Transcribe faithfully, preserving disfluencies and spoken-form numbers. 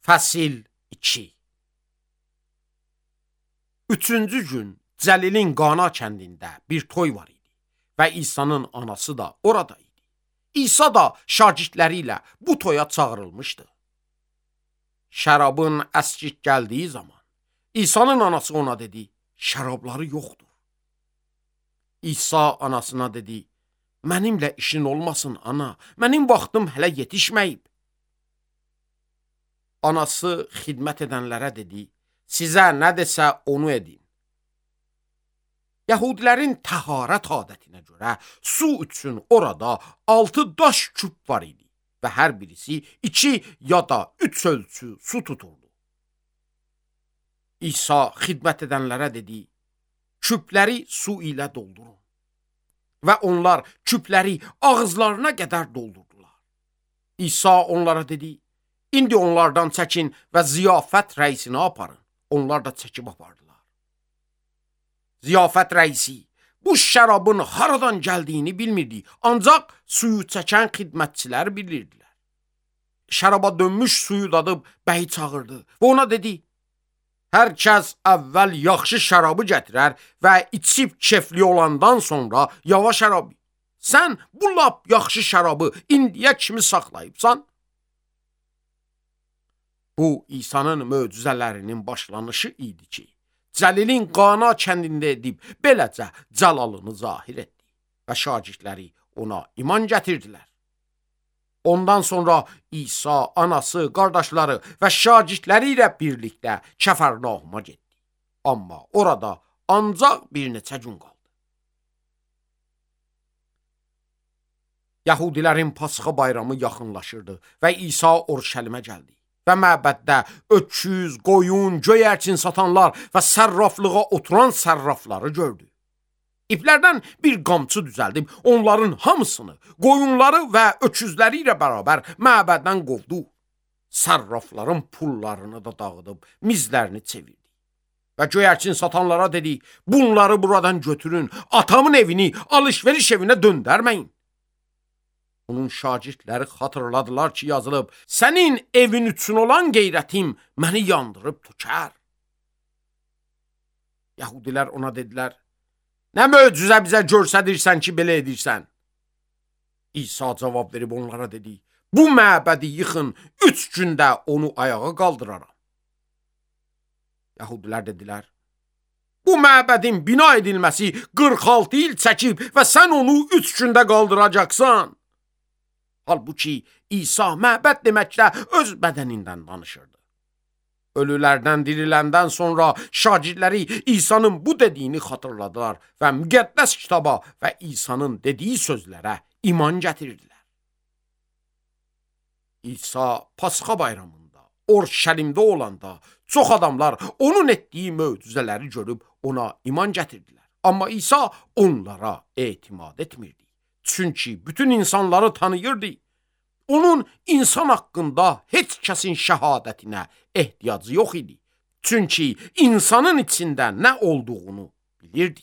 Fəsil iki. Üçüncü gün Cəlilin Qana kəndində bir toy var idi və İsa'nın anası da orada idi. İsa da şagirdləri ilə bu toya çağırılmışdı. Şərabın əskik gəldiyi zaman İsa'nın anası ona dedi, şərabları yoxdur. İsa anasına dedi, mənimlə işin olmasın ana, mənim vaxtım hələ yetişməyib. Anası xidmət edənlərə dedi, sizə nə desə onu edin. Yahudilərin təharət adətinə görə su üçün orada altı daş küp var idi və hər birisi iki ya da üç ölçü su tuturdu. İsa xidmət edənlərə dedi, küpləri su ilə doldurun. Və onlar küpləri ağızlarına qədər doldurdular. İsa onlara dedi, İndi onlardan çəkin və ziyafət rəisinə aparın. Onlar da çəkib apardılar. Ziyafət rəisi bu şərabın haradan gəldiyini bilmirdi, ancaq suyu çəkən xidmətçilər bilirdilər. Şəraba dönmüş suyu dadıb bəyi çağırdı və ona dedi, hər kəs əvvəl yaxşı şərabı gətirər və içib kefli olandan sonra yavaş şərabı. Sən bu lap yaxşı şərabı indiyə kimi saxlayıbsan? Bu, İsa'nın möcüzələrinin başlanışı idi ki, Cəlilin Qana kəndində edib, beləcə cəlalını zahir etdi və şagirdləri ona iman gətirdilər. Ondan sonra İsa, anası, qardaşları və şagirdləri ilə birlikdə Kəfərnauma getdi. Amma orada ancaq bir neçə gün qaldı. Yahudilərin Pasxa bayramı yaxınlaşırdı və İsa Urşəlimə gəldi. Və məbəddə öküz, qoyun, göyərçin satanlar və sərraflığa oturan sərrafları gördü. İplərdən bir qamçı düzəldib onların hamısını, qoyunları və öküzləri ilə bərabər məbəddən qovdu. Sərrafların pullarını da dağıdıb mizlərini çevirdi. Və göyərçin satanlara dedi, bunları buradan götürün, atamın evini alış-veriş evinə döndərməyin. Onun şagirdləri xatırladılar ki, yazılıb, sənin evin üçün olan qeyrətim məni yandırıb tükər. Yahudilər ona dedilər, nə möcüzə bizə görsədirsən ki, belə edirsən? İsa cavab verib onlara dedi, bu məbədi yıxın, üç gündə onu ayağa qaldıraram. Yahudilər dedilər, bu məbədin bina edilməsi qırx altı il çəkib və sən onu üç gündə qaldıracaqsan. Halbuki İsa məbəd deməklə öz bədənindən danışırdı. Ölülərdən diriləndən sonra şagirdləri İsa'nın bu dediyini xatırladılar və müqəddəs kitaba və İsa'nın dediyi sözlərə iman gətirdilər. İsa Pasxa bayramında, Urşəlimdə olanda çox adamlar onun etdiyi möcüzələri görüb ona iman gətirdilər. Amma İsa onlara etimad etmirdi. Çünki bütün insanları tanıyırdı. Onun insan haqqında heç kəsin şəhadətinə ehtiyacı yox idi. Çünki insanın içində nə olduğunu bilirdi.